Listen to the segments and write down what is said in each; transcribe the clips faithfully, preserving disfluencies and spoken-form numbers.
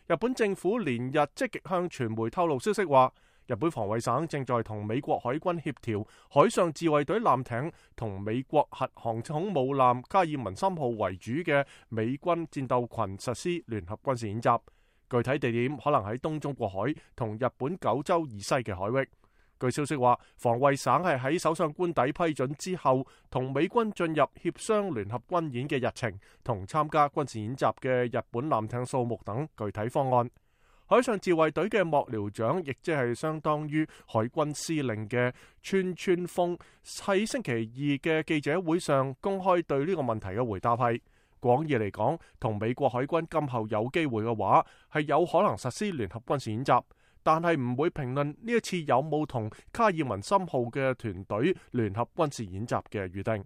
日本政府連日積極向傳媒透露消息話，日本防衛省正在同美國海軍協調海上自衛隊艦艇同美國核航空母艦卡爾文森號為主嘅美軍戰鬥群實施聯合軍事演習，具體地點可能喺東中國海同日本九州以西嘅海域。據消息話，防衛省係喺首相官邸批准之後，同美軍進入協商聯合軍演嘅日程同參加軍事演習嘅日本艦艇數目等具體方案。海上自衛隊嘅幕僚長，亦即係相當於海軍司令嘅川川豐，喺星期二嘅記者會上公開對呢個問題嘅回答係：廣義嚟講，同美國海軍今後有機會嘅話，係有可能實施聯合軍事演習。但係唔會評論呢一次有冇同卡爾文森號嘅團隊聯合軍事演習嘅預定。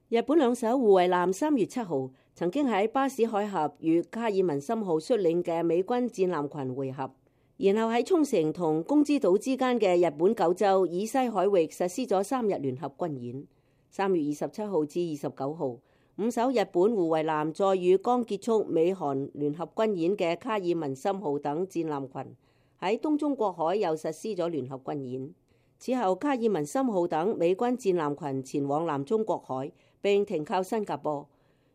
日本兩艘護衛艦三月七號曾經喺巴士海峽與卡爾文森號率領嘅美軍戰艦群會合，然後喺沖繩同宮之島之間嘅日本九州以西海域實施咗三日聯合軍演。三月二十七號至二十九號，五艘日本護衛艦再與剛結束美韓聯合軍演嘅卡爾文森號等戰艦群喺東中國海又實施咗聯合軍演。此後，卡爾文森號等美軍戰艦群前往南中國海並停靠新加坡，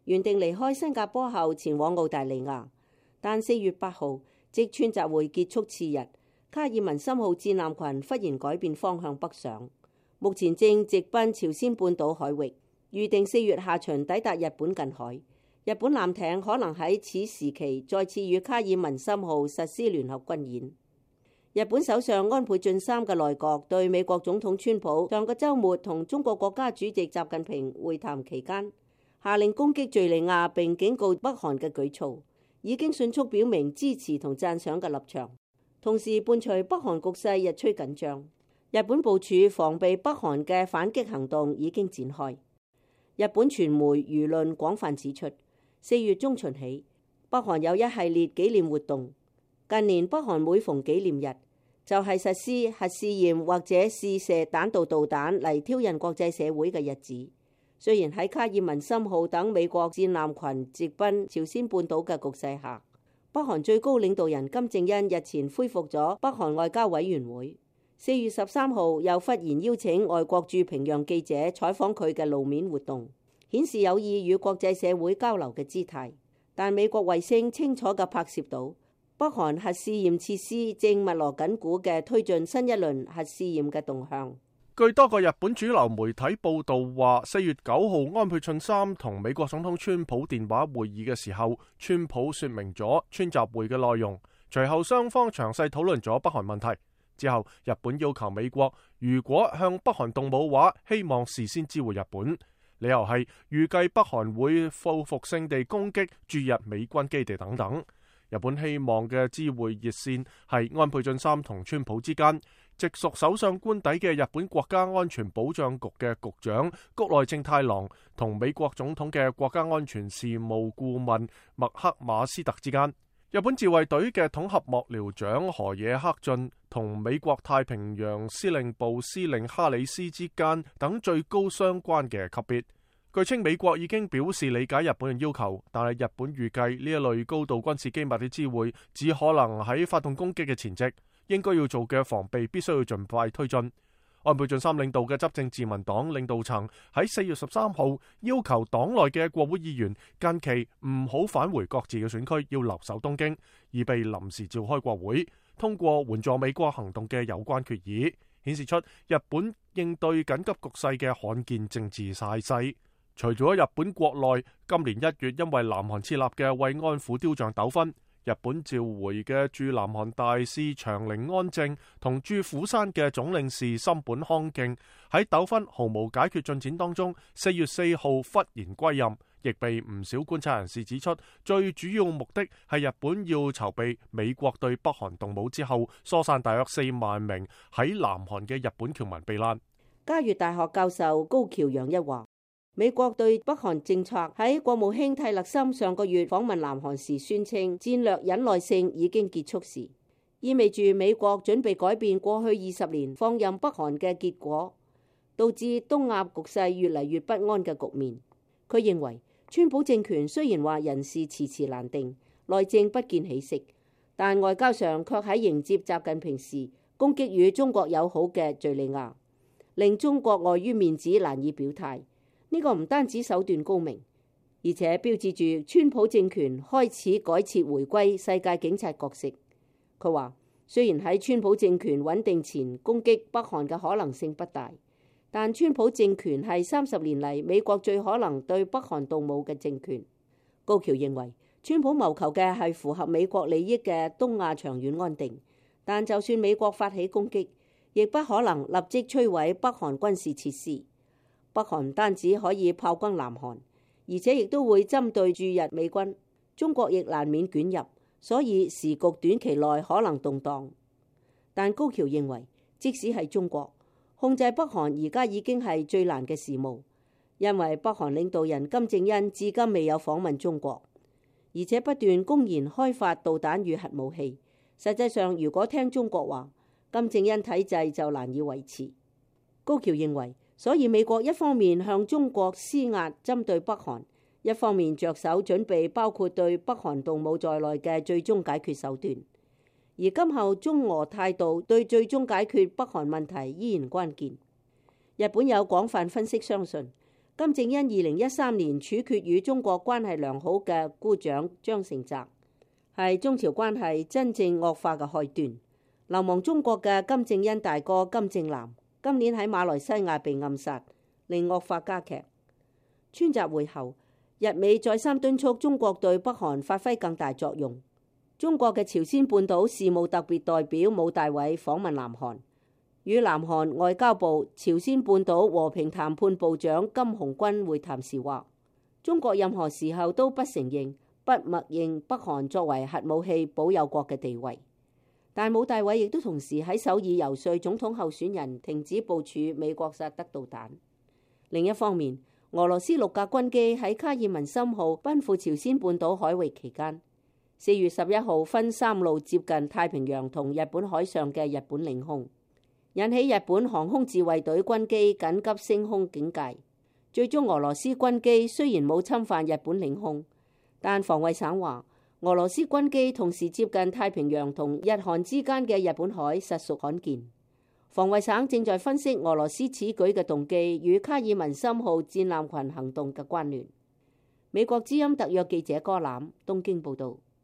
原定離開新加坡後前往澳大利亞。但四月八號，即川習會結束次日，卡爾文森號戰艦群忽然改變方向北上，目前正直奔朝鮮半島海域，預定四月下旬抵達日本近海。日本艦艇可能喺此時期再次與卡爾文森號實施聯合軍演。日本首相安倍晉三嘅內閣對美國總統川普上個週末同中國國家主席習近平會談期間，下令攻擊敘利亞並警告北韓嘅舉措，已經迅速表明支持同讚賞嘅立場。同時伴隨北韓局勢日趨緊張，日本部署防備北韓嘅反擊行動已經展開。日本傳媒輿論廣泛指出，四月中旬起，北韓有一系列紀念活動。近年北韓每逢紀念日，就係實施核試驗或者試射彈道導彈嚟挑釁國際社會嘅日子。雖然喺卡爾文森號等美國戰艦群直奔朝鮮半島嘅局勢下，北韓最高領導人金正恩日前恢復咗北韓外交委員會。四月十三號又忽然邀請外國駐平壤記者採訪佢嘅露面活動，顯示有意與國際社會交流嘅姿態。但美國衛星清楚嘅拍攝到，北韓核試驗設施正密鑼緊鼓嘅推進新一輪核試驗嘅動向。據多個日本主流媒體報道話，四月九號安倍晉三同美國總統川普電話會議嘅時候，川普說明咗川習會嘅內容。隨後雙方詳細討論咗北韓問題。之後，日本要求美國如果向北韓動武話，希望事先知會日本。理由係預計北韓會報復性地攻擊駐日美軍基地等等。日本希望嘅知會熱線係安倍晉三同川普之間，直屬首相官邸嘅日本國家安全保障局嘅局長谷內正太郎同美國總統嘅國家安全事務顧問麥克馬斯特之間。日本自衛隊嘅統合幕僚長河野克俊同美國太平洋司令部司令哈里斯之間等最高相關嘅級別。據稱美國已經表示理解日本嘅要求，但係日本預計呢一類高度軍事機密嘅知會只可能喺發動攻擊嘅前夕，應該要做嘅防備必須要盡快推進。安倍晉三領導嘅執政自民黨領導層喺四月十三號要求黨內嘅國會議員近期唔好返回各自嘅選區，要留守東京，以備臨時召開國會通過援助美國行動嘅有關決議，顯示出日本應對緊急局勢嘅罕見政治態勢。除咗日本國內，今年一月因為南韓設立嘅慰安婦雕像糾紛，日本召回嘅駐南韓大使長陵安正同駐釜山嘅總領事森本康敬喺糾紛毫無解決進展當中，四月四號忽然歸任，亦被唔少觀察人士指出，最主要目的係日本要籌備美國對北韓動武之後，疏散大約四萬名喺南韓嘅日本僑民避難。嘉悦大學教授高橋洋一話，美國對北韓政策喺國務卿蒂勒森上個月訪問南韓時宣稱戰略忍耐性已經結束時，意味住美國準備改變過去二十年放任北韓嘅結果，導致東亞局勢越嚟越不安嘅局面。佢認為川普政權雖然話人事遲遲難定，內政不見起色，但外交上卻喺迎接習近平時攻擊與中國友好嘅敘利亞，令中國礙於面子難以表態。呢個唔單止手段高明，而且標誌住川普政權開始改設回歸世界警察角色。佢話，雖然喺川普政權穩定前攻擊北韓嘅可能性不大，但川普政權係三十年嚟美國最可能對北韓動武嘅政權。高橋認為，川普謀求嘅係符合美國利益嘅東亞長遠安定，但就算美國發起攻擊，亦不可能立即摧毀北韓軍事設施。北韓唔單止可以炮轟南韓，而且亦都會針對駐日美軍，中國亦難免捲入，所以時局短期內可能動盪。但高橋認為，即使係中國控制北韓，而家已經係最難嘅事務，因為北韓領導人金正恩至今未有訪問中國，而且不斷公然開發導彈與核武器。實際上，如果聽中國話，金正恩體制就難以維持。高橋認為，所以美國一方面向中國施壓針對北韓，一方面着手準備包括對北韓動武在內嘅最終解決手段。而今後中俄態度對最終解決北韓問題依然關鍵。日本有廣泛分析相信，金正恩二零一三年處決與中國關係良好嘅姑丈張成澤，係中朝關係真正惡化嘅開端。流亡中國嘅金正恩大哥金正男今年喺馬來西亞被暗殺，令惡化加劇。川習會後，日美再三敦促中國對北韓發揮更大作用。中國嘅朝鮮半島事務特別代表武大偉訪問南韓，與南韓外交部朝鮮半島和平談判部長金洪軍會談時話，中國任何時候都不承認、不默認北韓作為核武器保有國嘅地位。但武大偉亦都同時喺首爾遊說總統候選人停止部署美國薩德導彈。另一方面，俄羅斯六架軍機喺卡爾文森號奔赴朝鮮半島海域期間，四月十一號分三路接近太平洋同日本海上嘅日本領空，引起日本航空自衛隊軍機緊急升空警戒。最終俄羅斯軍機雖然冇侵犯日本領空，但防衛省話，俄羅斯軍機同時接近太平洋同日韓之間嘅日本海實屬罕見。防衛省正在分析俄羅斯此舉嘅動機與卡爾文森號戰艦群行動嘅關聯。美國之音特約記者柯攬東京報道。